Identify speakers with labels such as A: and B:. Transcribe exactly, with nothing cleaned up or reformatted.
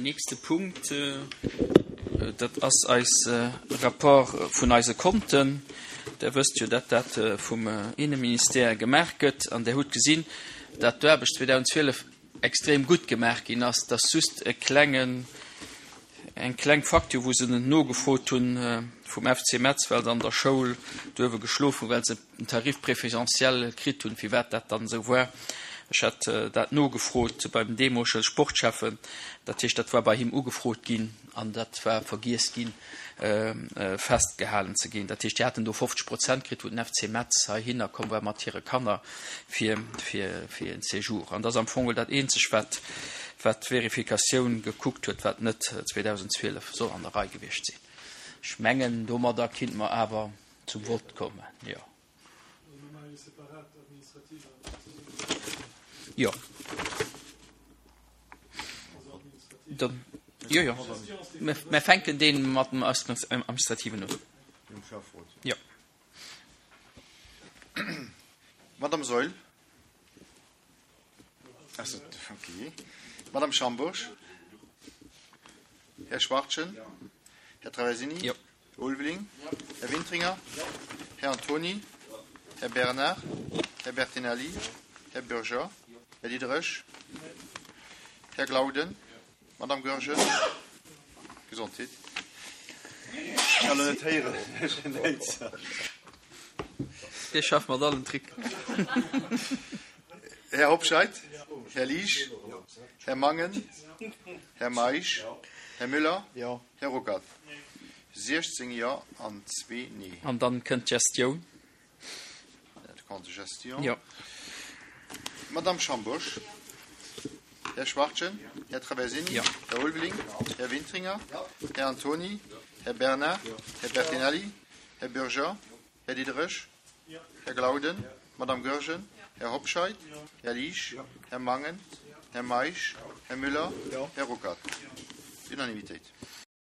A: Nächste Punkt, dat ass eis Rapport vun eise Konten. Der wësst jo, dat dat vum Inneministère gemaach gëtt. An Der hutt gesinn, dat d'Aarbecht zweedausendzwielef extrem gutt gemaach ginn ass, dass just e klengen, eng kleng Facture, wou se nogefrot hunn vum F C Metz, well se an der Schoul duerwe geschlof hunn, well se en Tarif préférentiel kritt hunn, firwat dat dann esou war. Ech hat dat nogefrot beim deemolege Sportschäffen, dat heescht, dat war bei him ugefrot ginn an dat war vergiess ginn festgehalen ze ginn. Dat heescht, déi haten do fofzeg Prozent kritt, wou den F C Metz heihinner komm war mat hire Kanner fir, fir, fir en Séjour. An dat ass am Fong dat Eenzeg, wat, wat d'Verifikatioun gekuckt huet, wat net zweedausendzwielef soll an der Rei gewiescht sinn. Ech mengen, domadder kinnt mer awer zum Vott kommen. Jo. Jo. Dann, jo, jo. Mir fänken dee mat dem Administrativen un. Jo.
B: Madame Saeul. Also, okay. Madame Schambourg. Här Schwachtgen. Här Traversini.
A: Jo.
B: Här Ulveling. Här Wintringer. Här Antoni. Här Bernard. Här Bertinelli. Här Bürger. Här Diderich. Här Glauden. Madame Goergen. Gesondheet. Ech kann elo net héieren.
A: Dir schafft mat allen Trick.
B: Här Hobscheit. Här Liesch. Här Mangen. Här Meisch. Här Müller. Här Ruckert. siechzéng Jo an zwee Nee.
A: An dann kënnt d'Gestioun.
B: De Compte de gestion.
A: Jo.
B: Madame Schambourg. Här Schwachtgen. Här Traversini.
A: Jo.
B: Här Ulveling. Här Wintringer. Här Antoni. Här Bernard. Här Bertinelli. Här Bürger. Här Diderich. Här Glauden. Madame Goergen. Här Hobscheit. Här Liesch. Här Mangen. Här Meisch. Här Müller. Här Ruckert. Unanimitéit.